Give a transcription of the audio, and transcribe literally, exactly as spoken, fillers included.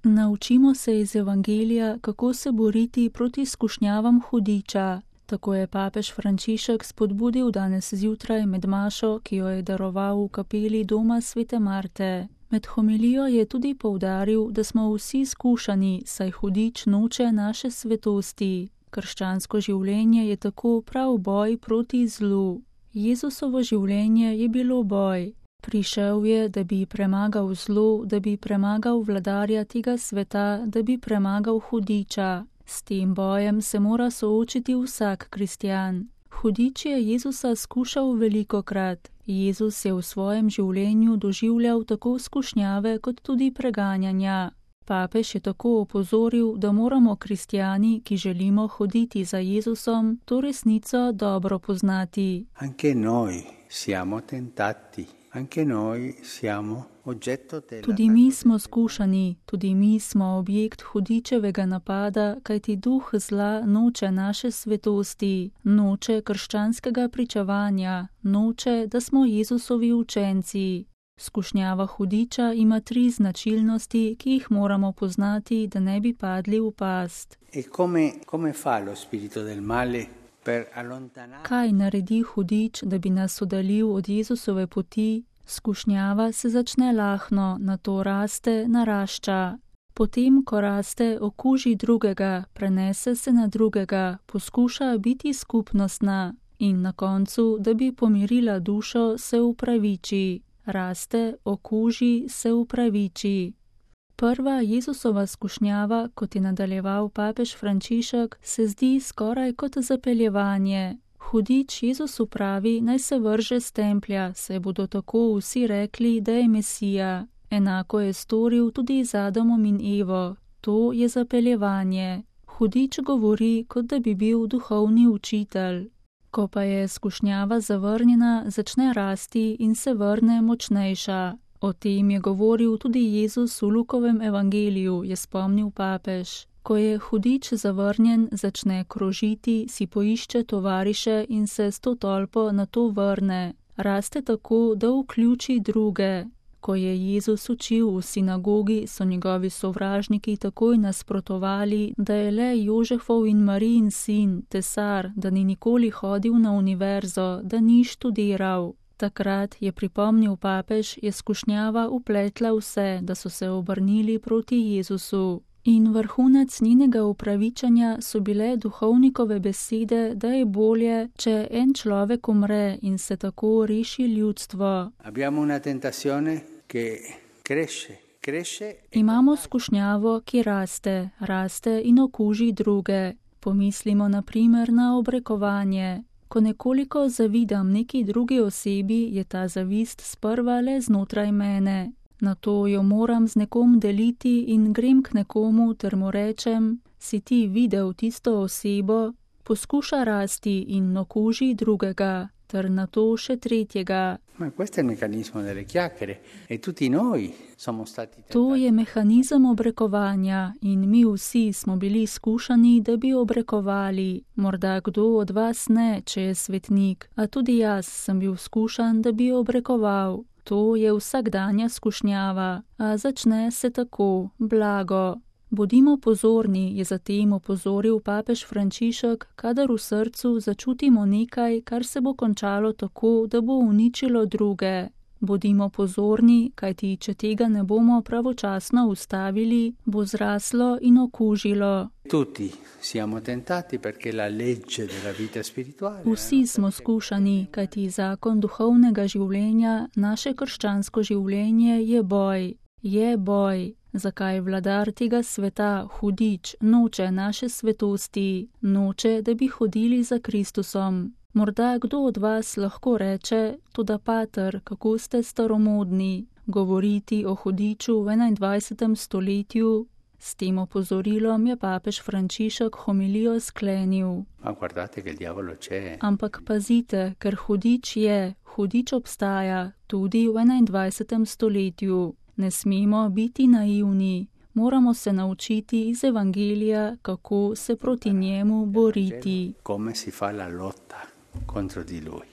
Naučimo se iz Evangelija, kako se boriti proti skušnjavam hudiča. Tako je papež Frančišek spodbudil danes zjutraj med mašo, ki jo je daroval v kapeli doma svete Marte. Med homilijo je tudi poudaril, da smo vsi skušani, saj hudič noče naše svetosti. Krščansko življenje je tako prav boj proti zlu. Jezusovo življenje je bilo boj. Prišel je, da bi premagal zlo, da bi premagal vladarja tega sveta, da bi premagal hudiča. S tem bojem se mora soočiti vsak kristjan. Hudič je Jezusa skušal velikokrat. Jezus je v svojem življenju doživljal tako skušnjave kot tudi preganjanja. Papež je tako opozoril, da moramo kristjani, ki želimo hoditi za Jezusom, to resnico dobro poznati. Anche noi siamo tentati. Anche noi siamo oggetto della... Tudi mi smo skušani, tudi mi smo objekt hudičevega napada, kajti duh zla noče naše svetosti, noče krščanskega pričevanja, noče, da smo Jezusovi učenci. Skušnjava hudiča ima tri značilnosti, ki jih moramo poznati, da ne bi padli v past. E come, come fa lo spirito del male? Kaj naredi hudič, da bi nas oddaljil od Jezusove poti? Skušnjava se začne lahno, nato raste, narašča. Potem, ko raste, okuži drugega, prenese se na drugega, poskuša biti skupnostna in na koncu, da bi pomirila dušo, se upraviči. Raste, okuži, se upraviči. Prva Jezusova skušnjava, kot je nadaljeval papež Frančišek, se zdi skoraj kot zapeljevanje. Hudič Jezusu pravi, naj se vrže s templja, saj bodo tako vsi rekli, da je Mesija. Enako je storil tudi z Adamom in Evo. To je zapeljevanje. Hudič govori, kot da bi bil duhovni učitelj. Ko pa je skušnjava zavrnjena, začne rasti in se vrne močnejša. O tem je govoril tudi Jezus v Lukovem evangeliju, je spomnil papež. Ko je hudič zavrnjen, začne krožiti, si poišče tovariše in se s to tolpo na to vrne. Raste tako, da vključi druge. Ko je Jezus učil v sinagogi, so njegovi sovražniki takoj nasprotovali, da je le Jožefov in Marijin sin, tesar, da ni nikoli hodil na univerzo, da ni študiral. Takrat je pripomnil papež, je skušnjava upletla vse, da so se obrnili proti Jezusu. In vrhunec njenega upravičanja so bile duhovnikove besede, da je bolje, če en človek umre in se tako reši ljudstvo. Abbiamo una tentazione che cresce, cresce. Imamo skušnjavo, ki raste, raste in okuži druge. Pomislimo na primer na obrekovanje. Ko nekoliko zavidam neki drugi osebi, je ta zavist sprva le znotraj mene. Nato jo moram z nekom deliti in grem k nekomu ter mu rečem, si ti videl tisto osebo, poskuša rasti in okuži drugega, ter nato še tretjega. To je mehanizem obrekovanja in mi vsi smo bili skušani, da bi obrekovali. Morda kdo od vas ne, če je svetnik, a tudi jaz sem bil skušan, da bi obrekoval. To je vsakdanja skušnjava, a začne se tako, blago. Bodimo pozorni, je zatem opozoril papež Frančišek, kadar v srcu začutimo nekaj, kar se bo končalo tako, da bo uničilo druge. Bodimo pozorni, kajti če tega ne bomo pravočasno ustavili, bo zraslo in okužilo. Vsi smo skušani, kajti zakon duhovnega življenja, naše krščansko življenje je boj. Je boj. Zakaj vladar tega sveta, hudič, noče naše svetosti, noče, da bi hodili za Kristusom. Morda kdo od vas lahko reče, toda pater, kako ste staromodni, govoriti o hudiču v enaindvajsetem stoletju. S tem opozorilom je papež Frančišek homilijo sklenil. Ampak pazite, ker hudič je, hudič obstaja, tudi v enaindvajsetem stoletju. Ne smemo biti naivni, moramo se naučiti iz Evangelija, kako se proti njemu boriti.